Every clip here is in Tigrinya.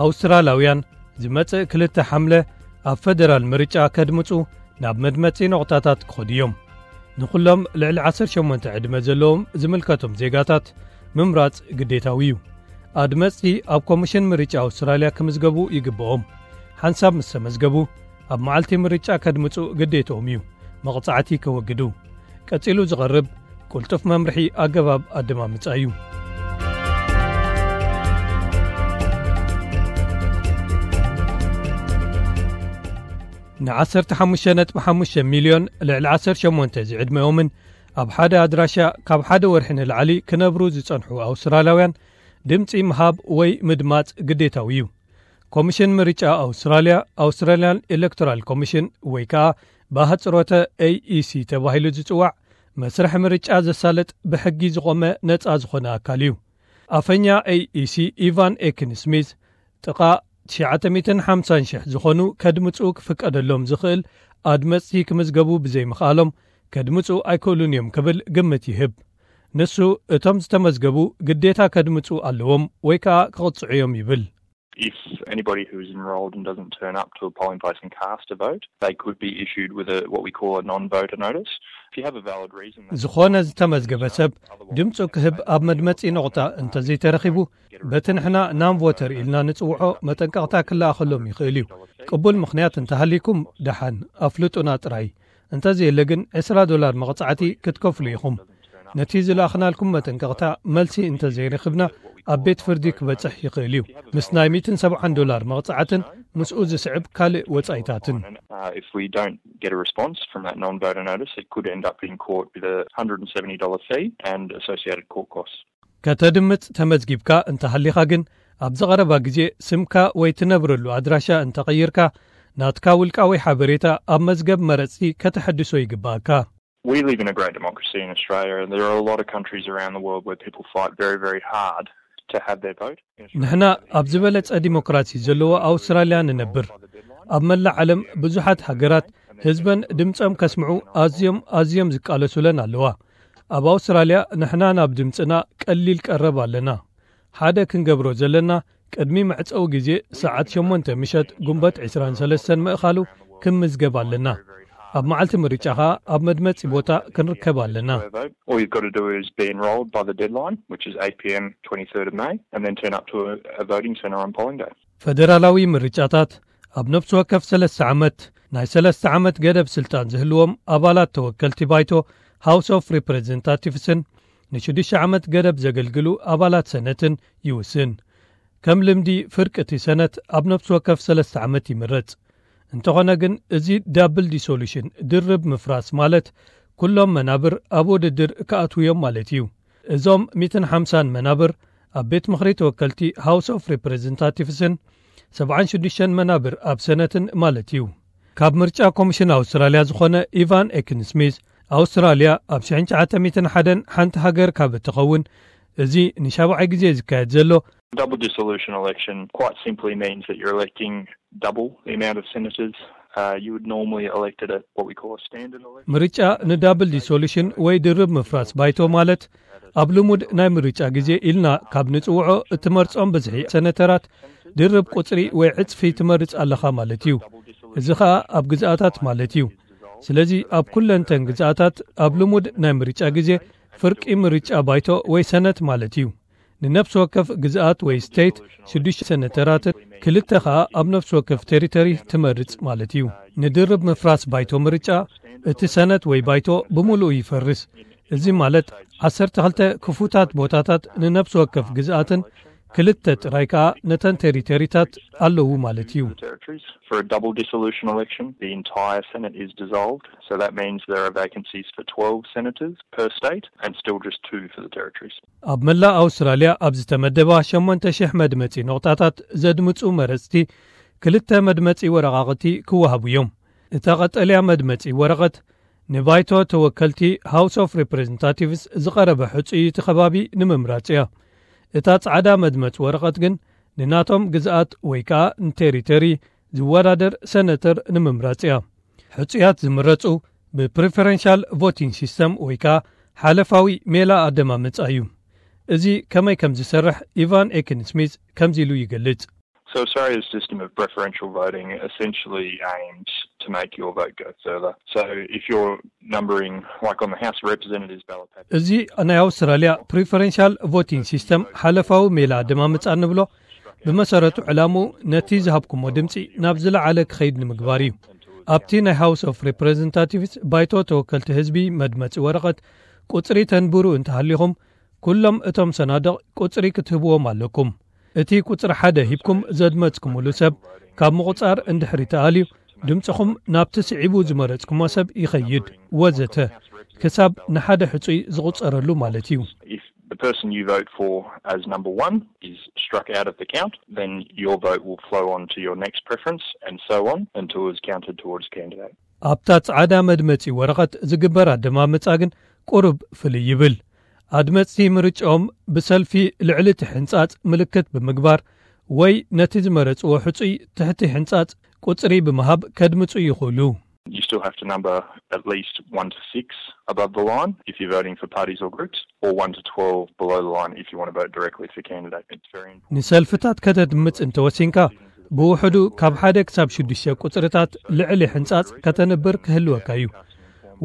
ኣውስትራላውያን ዝመጽእ ክልተ ሓምለ ኣብ ፈደራል ምርጫ ከድምጹ ናብ መድመጺ ነቑጣታት ክኸዱ እዮም። ንኹሎም ልዕሊ ዓሰርተ ሸሞንተ ዕድመ ዘለዎም ዝምልከቶም ዜጋታት ምምራጽ ግዴታዊ እዩ። ኣድመጽቲ ኣብ ኮሚሽን ምርጫ ኣውስትራልያ ክምዝገቡ ይግብኦም። ሓንሳብ ምስ ተመዝገቡ፣ ኣብ መዓልቲ ምርጫ ከድምጹ ግዴትኦም እዩ። መቕጻዕቲ ከወግዱ። ቀጺሉ ዝቐርብ ቅልጡፍ መምርሒ ኣገባብ ኣደማምጻ እዩ። ን15.5 ሚልዮን ልዕሊ ዓሰርተ ሸሞንተ ዝዕድመኦምን ኣብ ሓደ ኣድራሻ ካብ ሓደ ወርሒ ንላዕሊ ክነብሩ ዝጸንሑ ኣውስትራልያውያን ድምጺ ምሃብ ወይ ምድማጽ ግዴታዊ እዩ። ኮሚሽን ምርጫ ኣውስትራልያ፣ ኣውስትራልያን ኤሌክቶራል ኮሚሽን ወይ ከኣ ብኣህጽሮተ ኤ ኢ ሲ ተባሂሉ ዝጽዋዕ መስርሕ ምርጫ ዘሳልጥ ብሕጊ ዝቖመ ነጻ ዝኾነ ኣካል እዩ። ኣፈኛ ኤ ኢ ሲ ኢቫን ኤክን ስሚዝ ጥቓ ትሽዓተ ሚእትን ሓምሳን ሽሕ ዝኾኑ ከድምጹ ክፍቀደሎም ዝኽእል ኣድመጽቲ ክምዝገቡ ብዘይምኽኣሎም ከድምጹ ኣይክእሉን እዮም ክብል ግምት ይህብ። ንሱ እቶም ዝተመዝገቡ ግዴታ ከድምጹ ኣለዎም ወይ ከኣ ክቕጽዑ እዮም ይብል። If anybody who is enrolled and doesn't turn up to a polling place and cast a vote, they could be issued with a what we call a non-voter notice. If you have a valid reason, that's ዝኾነ ዝተመዝገበ ሰብ ድምፁ ክህብ ኣብ መድመፂ ነቑጣ እንተዘይተረኺቡ፣ በቲ ንሕና ናን ቮተር ኢልና ንፅውዖ መጠንቀቕታ ክለኣኸሎም ይኽእል እዩ። ቅቡል ምኽንያት እንተሃልይኩም ደሓን ኣፍልጡና ጥራይ። እንተዘየለ ግን ዕስራ ዶላር መቕፃዕቲ ክትከፍሉ ኢኹም። ነቲ ዝለኣኽናልኩም መጠንቀቕታ መልሲ እንተዘይረኽብና፣ ኣብ ቤት ፍርዲ ክበጽሕ ይኽእል እዩ፣ ምስ ናይ ሚእትን ሰብዓን ዶላር መቕጻዕትን ምስኡ ዝስዕብ ካልእ ወጻኢታትን። Uh, if we don't get a response from that non-voter notice, it could end up in court with a hundred and seventy dollar fee and associated court costs. ከተድምጽ ተመዝጊብካ እንተሃሊኻ ግን፣ ኣብዚ ቀረባ ግዜ ስምካ ወይ ትነብረሉ ኣድራሻ እንተቐይርካ፣ ናትካ ውልቃዊ ሓበሬታ ኣብ መዝገብ መረጽቲ ከተሐድሶ ይግባእካ። We live in a great democracy in Australia, and there are a lot of countries around the world where people fight very, very hard to have their vote. ንሕና ኣብ ዝበለጸ ዲሞክራሲ ዘለዎ ኣውስትራልያ ንነብር። ኣብ መላእ ዓለም ብዙሓት ሃገራት ህዝበን ድምጾም ከስምዑ ኣዝዮም ኣዝዮም ዝቃለሱለን ኣለዋ። ኣብ ኣውስትራልያ ንሕና ናብ ድምጽና ቀሊል ቀረብ ኣለና። ሓደ ክንገብሮ ዘለና፣ ቅድሚ መዕጸዊ ግዜ ሰዓት ሸሞንተ ምሸት ጉንበት ዕስራን ሰለስተን ምእኻሉ ክምዝገብ ኣለና። ኣብ መዓልቲ ምርጫ ኸኣ ኣብ መድመጺ ቦታ ክንርከብ ኣለና። All you've got to do is be enrolled by the deadline, which is eight p.m. twenty-third of May, and then turn up to a, a voting centre on polling day. ፈደራላዊ ምርጫታት ኣብ ነፍሲ ወከፍ ሰለስተ ዓመት ናይ ሰለስተ ዓመት ገደብ ስልጣን ዝህልዎም ኣባላት ተወከልቲ ባይቶ፣ ሃውስ ኦፍ ሪፕሬዘንታቲቭስን ንሽዱሽተ ዓመት ገደብ ዘገልግሉ ኣባላት ሰነትን ይውስን። ከም ልምዲ፣ ፍርቂ እቲ ሰነት ኣብ ነፍሲ ወከፍ ሰለስተ ዓመት ይምረጽ። እንተኾነ ግን፣ እዚ ዳብል ዲሶሉሽን፣ ድርብ ምፍራስ፣ ማለት ኩሎም መናብር ኣብ ውድድር ክኣትዉ እዮም ማለት እዩ። እዞም ሚእትን ሓምሳን መናብር ኣብ ቤት ምኽሪ ተወከልቲ፣ ሃውስ ኦፍ ሪፕሬዘንታቲቭስን ሰብዓን ሽዱሽተን መናብር ኣብ ሰነትን ማለት እዩ። ካብ ምርጫ ኮሚሽን ኣውስትራልያ ዝኾነ ኢቫን ኤክን ስሚዝ፣ ኣውስትራልያ ኣብ ሽሕን ትሽዓተ ሚእትን ሓደን ሓንቲ ሃገር ካብ እትኸውን፣ እዚ ንሻብዓይ ግዜ ዝካየድ ዘሎ። Double dissolution election quite simply means that you're electing double the amount of senators uh, you would normally elect at a, what we call a standard election. ምርጫ ንዳብል ዲሶሉሽን ወይ ድርብ ምፍራስ ባይቶ ማለት፣ ኣብ ልሙድ ናይ ምርጫ ግዜ ኢልና ካብ ንጽውዖ እትመርጾም ብዝሒ ሰነተራት ድርብ ቁጽሪ ወይ ዕጽፊ ትመርጽ ኣለኻ ማለት እዩ። እዚ ኸኣ ኣብ ግዝኣታት ማለት እዩ። ስለዚ ኣብ ኩለንተን ግዝኣታት ኣብ ልሙድ ናይ ምርጫ ግዜ ፍርቂ ምርጫ ባይቶ ወይ ሰነት ማለት እዩ። ንነፍሲ ወከፍ ግዝኣት ወይ ስቴት ሽዱሽተ ሰነተራትን ክልተ ኸኣ ኣብ ነፍሲ ወከፍ ቴሪቶሪ ትመርጽ ማለት እዩ። ንድርብ ምፍራስ ባይቶ ምርጫ፣ እቲ ሰነት ወይ ባይቶ ብምሉኡ ይፈርስ። እዚ ማለት ዓሰርተ ክልተ ክፉታት ቦታታት ንነፍሲ ወከፍ ግዝኣትን ክልተ ጥራይ ከኣ ነተን ቴሪቶሪታት ኣለዉ ማለት እዩ። For a double dissolution election, the entire Senate is dissolved, so that means there are vacancies for twelve senators per state and still just two for the territories. ኣብ መላእ ኣውስትራልያ ኣብ ዝተመደባ ሸሞንተ ሽሕ መድመጺ ነቑጣታት ዘድምጹ መረጽቲ ክልተ መድመጺ ወረቓቕቲ ክወሃቡ እዮም። እታ ቀጠልያ መድመጺ ወረቐት ንባይቶ ተወከልቲ፣ ሃውስ ኦፍ ሪፕሬዘንታቲቭስ፣ ዝቐረበ ሕጹይ እቲ ከባቢ ንምምራጽ እያ። እታ ጻዕዳ መድመጽ ወረቐት ግን ንናቶም ግዝኣት ወይ ከኣ ንቴሪቶሪ ዝወዳደር ሰነተር ንምምራጽ እያ። ሕጹያት ዝምረጹ ብፕሪፈረንሻል ቮቲንግ ሲስተም ወይ ከኣ ሓለፋዊ ሜላ ኣደማምጻ እዩ። እዚ ከመይ ከም ዝሰርሕ ኢቫን ኤክን ስሚዝ ከምዚ ኢሉ ይገልጽ። So Australia's system of preferential voting essentially aims to make your vote go further. So if you're numbering, like on the House of Representatives ballot paper, እዚ ናይ ኣውስትራልያ ፕሪፈረንሻል ቮቲንግ ሲስተም ሓለፋዊ ሜላ ኣደማምጻ እንብሎ፣ ብመሰረቱ ዕላምኡ ነቲ ዝሃብኩሞ ድምጺ ናብ ዝለዓለ ክኸይድ ንምግባር እዩ። ኣብቲ ናይ ሃውስ ኦፍ ሪፕሬዘንታቲቭስ፣ ባይቶ ተወከልቲ ህዝቢ፣ መድመጺ ወረቐት ቁጽሪ ተንብሩ እንተሃሊኹም፣ ኩሎም እቶም ሰናድቕ ቁጽሪ ክትህብዎም ኣለኩም። እቲ ቁጽሪ ሓደ ሂብኩም ዘድመጽኩምሉ ሰብ ካብ ምቑጻር እንድሕሪ ተኣልዩ፣ ድምጽኹም ናብቲ ስዒቡ ዝመረጽኩሞ ሰብ ይኸይድ፣ ወዘተ፣ ክሳብ ንሓደ ሕጹይ ዝቑጸረሉ ማለት እዩ። if the person you vote for as number one is struck out of the count, then your vote will flow on to your next preference and so on until it's counted towards candidate. ኣብታ ጻዕዳ መድመጺ ወረቐት ዝግበር ኣደማምጻ ግን ቁሩብ ፍልይ ይብል። ኣድመጽቲ ምርጫኦም ብሰልፊ ልዕሊ እቲ ሕንጻጽ ምልክት ብምግባር ወይ ነቲ ዝመረጽዎ ሕጹይ ትሕቲ ሕንጻጽ ቁጽሪ ብምሃብ ከድምጹ ይኽእሉ። You still have to number at least one to six above the line if you're voting for parties or groups, or one to twelve below the line if you want to vote directly for candidate. It's very important. ንሰልፍታት ከተድምጽ እንተወሲንካ፣ ብውሕዱ ካብ ሓደ ክሳብ ሽዱሽተ ቁጽርታት ልዕሊ ሕንጻጽ ከተንብር ክህልወካ እዩ።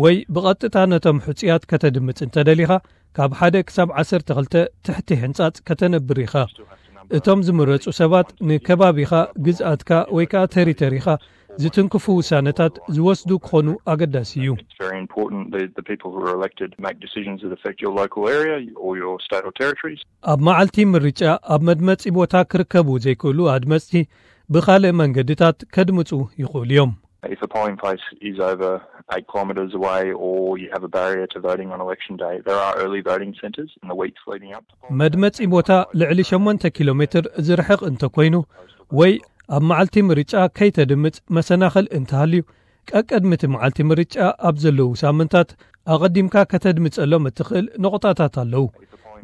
ወይ ብቐጥታ ነቶም ሕጹያት ከተድምጽ እንተደሊኻ፣ ካብ ሓደ ክሳብ ዓሰርተ ክልተ ትሕቲ ሕንጻጽ ከተንብር ኢኻ። እቶም ዝምረጹ ሰባት ንከባቢኻ፣ ግዝኣትካ ወይ ከኣ ተሪተሪኻ ዝትንክፉ ውሳነታት ዝወስዱ ክኾኑ ኣገዳሲ እዩ። It's very important that the people who are elected make decisions that affect your local area or your state or territories. ኣብ መዓልቲ ምርጫ ኣብ መድመጺ ቦታ ክርከቡ ዘይክእሉ ኣድመጽቲ ብኻልእ መንገድታት ከድምጹ ይኽእሉ እዮም። If a polling place is over eight kilometres away or you have a barrier to voting on election day, there are early voting centres in the weeks leading up to polling. መድመጺ ቦታ ልዕሊ ሸሞንተ ኪሎ ሜትር ዝርሕቕ እንተኮይኑ ወይ ኣብ መዓልቲ ምርጫ ከይተድምጽ መሰናኽል እንተሃልዩ፣ ቀቀድሚ እቲ መዓልቲ ምርጫ ኣብ ዘለዉ ሳምንታት ኣቐዲምካ ከተድምጸሎም እትኽእል ነቑጣታት ኣለዉ።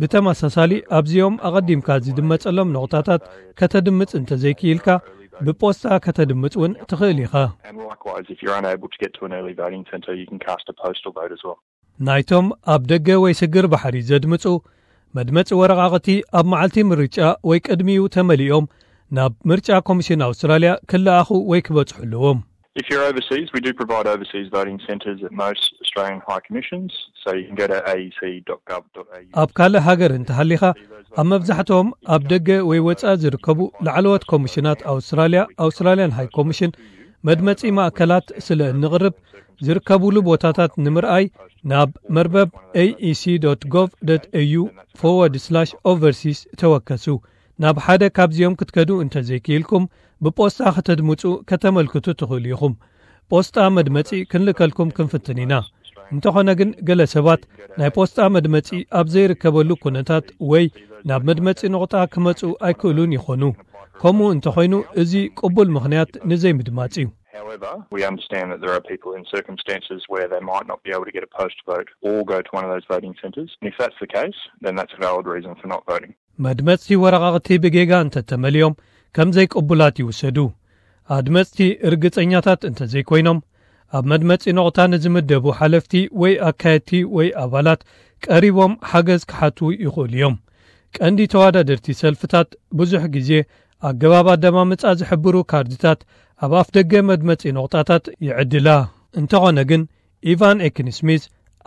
ብተመሳሳሊ ኣብዚኦም ኣቐዲምካ ዝድመጸሎም ነቑጣታት ከተድምጽ እንተዘይክኢልካ፣ ብፖስታ ከተድምጽ እውን ትኽእል ኢኻ። And likewise, if you're unable to get to an early voting centre, you can cast a postal vote as well. ናይቶም ኣብ ደገ ወይ ስግር ባሕሪ ዘድምጹ፣ መድመጺ ወረቓቕቲ ኣብ መዓልቲ ምርጫ ወይ ቅድሚኡ ተመሊኦም ናብ ምርጫ ኮሚሽን ኣውስትራልያ ክለኣኹ ወይ ክበጽሑ ኣለዎም። If you're overseas, we do provide overseas voting centres at most Australian High Commissions, so you can go to A E C dot gov dot A U. ኣብ ካልእ ሃገር እንተሃሊኻ፣ ኣብ መብዛሕትኦም ኣብ ደገ ወይ ወጻኢ ዝርከቡ ላዕለዎት ኮሚሽናት ኣውስትራልያ፣ ኣውስትራልያን ሃይ ኮሚሽን፣ መድመጺ ማእከላት ስለ እንቕርብ፣ ዝርከቡሉ ቦታታት ንምርኣይ ናብ መርበብ A E C dot gov dot A U forward slash overseas ተወከሱ። ናብ ሓደ ካብዚኦም ክትከዱ እንተዘይክኢልኩም፣ ብፖስታ ከተድምጹ ከተመልክቱ ትኽእሉ ኢኹም። ፖስታ መድመጺ ክንልከልኩም ክንፍትን ኢና። እንተኾነ ግን፣ ገለ ሰባት ናይ ፖስታ መድመጺ ኣብ ዘይርከበሉ ኩነታት ወይ ናብ መድመጺ ነቑጣ ክመጹ ኣይክእሉን ይኾኑ። ከምኡ እንተኾይኑ፣ እዚ ቅቡል ምኽንያት ንዘይምድማጽ እዩ። However, we understand that there are people in circumstances where they might not be able to get a post vote or go to one of those voting centres. And if that's the case, then that's a valid reason for not voting. መድመጽቲ ወረቓቕቲ ብጌጋ እንተተመሊኦም ከም ዘይቅቡላት ይውሰዱ። ኣድመጽቲ ርግጸኛታት እንተዘይኮይኖም፣ ኣብ መድመጺ ነቑጣ ንዝምደቡ ሓለፍቲ ወይ ኣካየድቲ ወይ ኣባላት ቀሪቦም ሓገዝ ክሓቱ ይኽእሉ እዮም። ቀንዲ ተወዳደርቲ ሰልፍታት ብዙሕ ግዜ ኣገባብ ኣደማምጻ ዝሕብሩ ካርድታት ኣብ ኣፍ ደገ መድመጺ ነቑጣታት ይዕድላ። እንተኾነ ግን፣ ኢቫን ኤክን ስሚዝ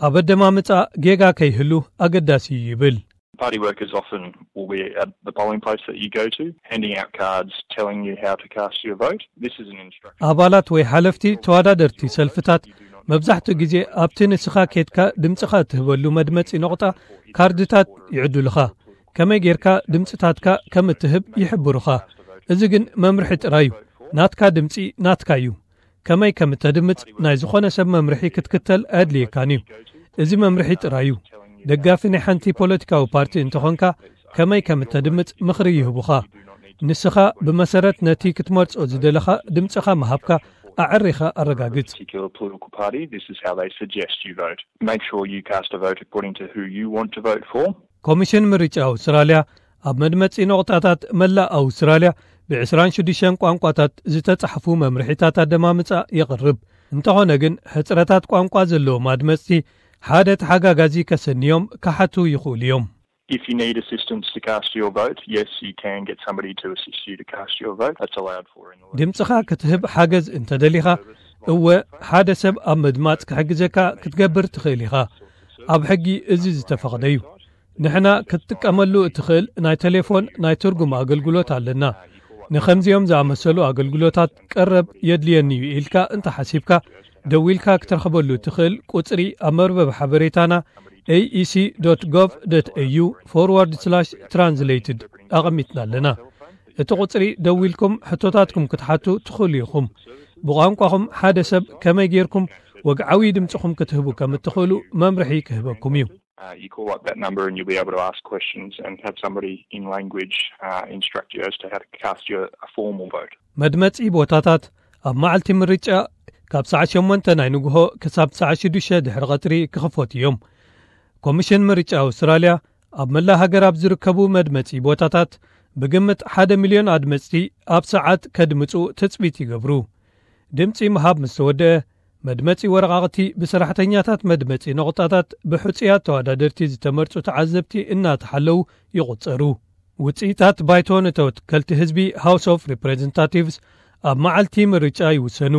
ኣብ ኣደማምጻ ጌጋ ከይህሉ ኣገዳሲ እዩ ይብል። Party workers often will be at the polling place that you go to, handing out cards telling you how to cast your vote. This is an instruction. ኣባላት ወይ ሓለፍቲ ተወዳደርቲ ሰልፍታት መብዛሕትኡ ግዜ ኣብቲ ንስኻ ኬድካ ድምጽኻ እትህበሉ መድመጺ ነቑጣ ካርድታት ይዕድሉኻ። ከመይ ጌርካ ድምጽታትካ ከም እትህብ ይሕብሩኻ። እዚ ግን መምርሒ ጥራይ እዩ። ናትካ ድምጺ ናትካ እዩ። ከመይ ከም እተድምጽ ናይ ዝኾነ ሰብ መምርሒ ክትክተል ኣየድልየካን እዩ። እዚ መምርሒ ጥራይ እዩ። ደጋፊ ናይ ሓንቲ ፖለቲካዊ ፓርቲ እንተኾንካ፣ ከመይ ከም እተድምጽ ምኽሪ ይህቡኻ። ንስኻ ብመሰረት ነቲ ክትመርጾ ዝደለኻ ድምጽኻ ምሃብካ ኣዕሪኻ ኣረጋግጽ። Particular political party, this is how they suggest you vote. Make sure you cast a vote according to who you want to vote for. ኮሚሽን ምርጫ ኣውስትራልያ ኣብ መድመጺ ነቑጣታት መላእ ኣውስትራልያ ብዕስራን ሽዱሽተን ቋንቋታት ዝተጻሕፉ መምርሒታት ኣደማምጻ የቕርብ። እንተኾነ ግን፣ ሕጽረታት ቋንቋ ዘለዎም ኣድመጽቲ ሓደ ተሓጋጋዚ ከሰንዮም ክሓቱ ይኽእሉ እዮም። If you need assistance to cast your vote, yes, you can get somebody to assist you to cast your vote. That's allowed for in the ድምፅኻ ክትህብ ሓገዝ እንተደሊኻ፣ እወ፣ ሓደ ሰብ ኣብ ምድማፅ ክሕግዘካ ክትገብር ትኽእል ኢኻ። ኣብ ሕጊ እዚ ዝተፈቕደ እዩ። ንሕና ክትጥቀመሉ እትኽእል ናይ ቴሌፎን ናይ ትርጉም ኣገልግሎት ኣለና። ንኸምዚኦም ዝኣመሰሉ ኣገልግሎታት ቀረብ የድልየኒ እዩ ኢልካ እንተሓሲብካ፣ ደዊልካ ክትረኽበሉ እትኽእል ቁፅሪ ኣብ መርበብ ሓበሬታና aec.gov.au/translated ኣቐሚጥና ኣለና። እቲ ቁፅሪ ደዊልኩም ሕቶታትኩም ክትሓቱ ትኽእሉ ኢኹም። ብቋንቋኹም ሓደ ሰብ ከመይ ጌርኩም ወግዓዊ ድምፅኹም ክትህቡ ከም እትኽእሉ መምርሒ ክህበኩም እዩ። Uh, you call up that number and you'll be able to ask questions and have somebody in language uh, instruct you as to how to cast your a formal vote. መድመፂ ቦታታት ኣብ መዓልቲ ምርጫ ካብ ሰዓት ሸሞንተ ናይ ንግሆ ክሳብ ሰዓት ሽዱሽተ ድሕሪ ቐትሪ ክኽፈቱ እዮም። ኮሚሽን ምርጫ ኣውስትራልያ ኣብ መላእ ሃገር ኣብ ዝርከቡ መድመፂ ቦታታት ብግምት ሓደ ሚልዮን ኣድመፅቲ ኣብ ሰዓት ከድምፁ ትፅቢት ይገብሩ። ድምፂ ምሃብ ምስ ተወደአ፣ መድመፂ ወረቓቕቲ ብሰራሕተኛታት መድመፂ ነቑጣታት ብሕፁያት ተወዳደርቲ ዝተመርፁ ተዓዘብቲ እናተሓለዉ ይቑፀሩ። ውፅኢታት ባይቶ ንተወከልቲ ህዝቢ፣ House of Representatives፣ ኣብ መዓልቲ ምርጫ ይውሰኑ።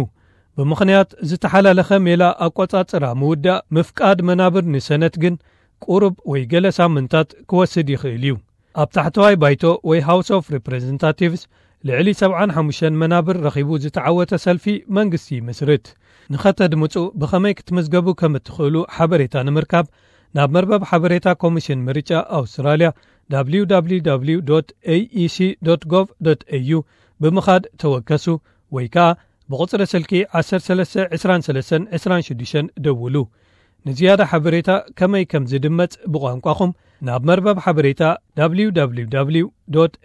ብምኽንያት ዝተሓላለኸ ሜላ ኣቆፃፅራ ምውዳእ ምፍቃድ መናብር ንሰነት ግን ቁሩብ ወይ ገለ ሳምንታት ክወስድ ይኽእል እዩ። ኣብ ታሕተዋይ ባይቶ ወይ House of Representatives ልዕሊ ሰብዓን ሓሙሽተን መናብር ረኺቡ ዝተዓወተ ሰልፊ መንግስቲ ይምስርት። ንኸተድምፁ ብኸመይ ክትምዝገቡ ከም እትኽእሉ ሓበሬታ ንምርካብ ናብ መርበብ ሓበሬታ ኮሚሽን ምርጫ ኣውስትራልያ www aec.gov.au ብምኻድ ተወከሱ ወይ ከዓ ብቑፅሪ ስልኪ ዓሰርተ ሰለስተ ዕስራን ሰለስተን ዕስራን ሽዱሽተን ደውሉ። ንዝያዳ ሓበሬታ ከመይ ከም ዝድመፅ ብቋንቋኹም ናብ መርበብ ሓበሬታ www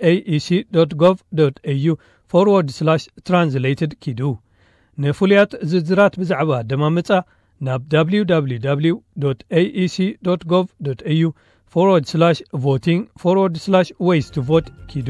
aec.gov.au/translated ኪዱ። ንፍሉያት ዝርዝራት ብዛዕባ ኣደማምፃ ናብ www aec.gov.au/voting/ways to vote ኪዱ።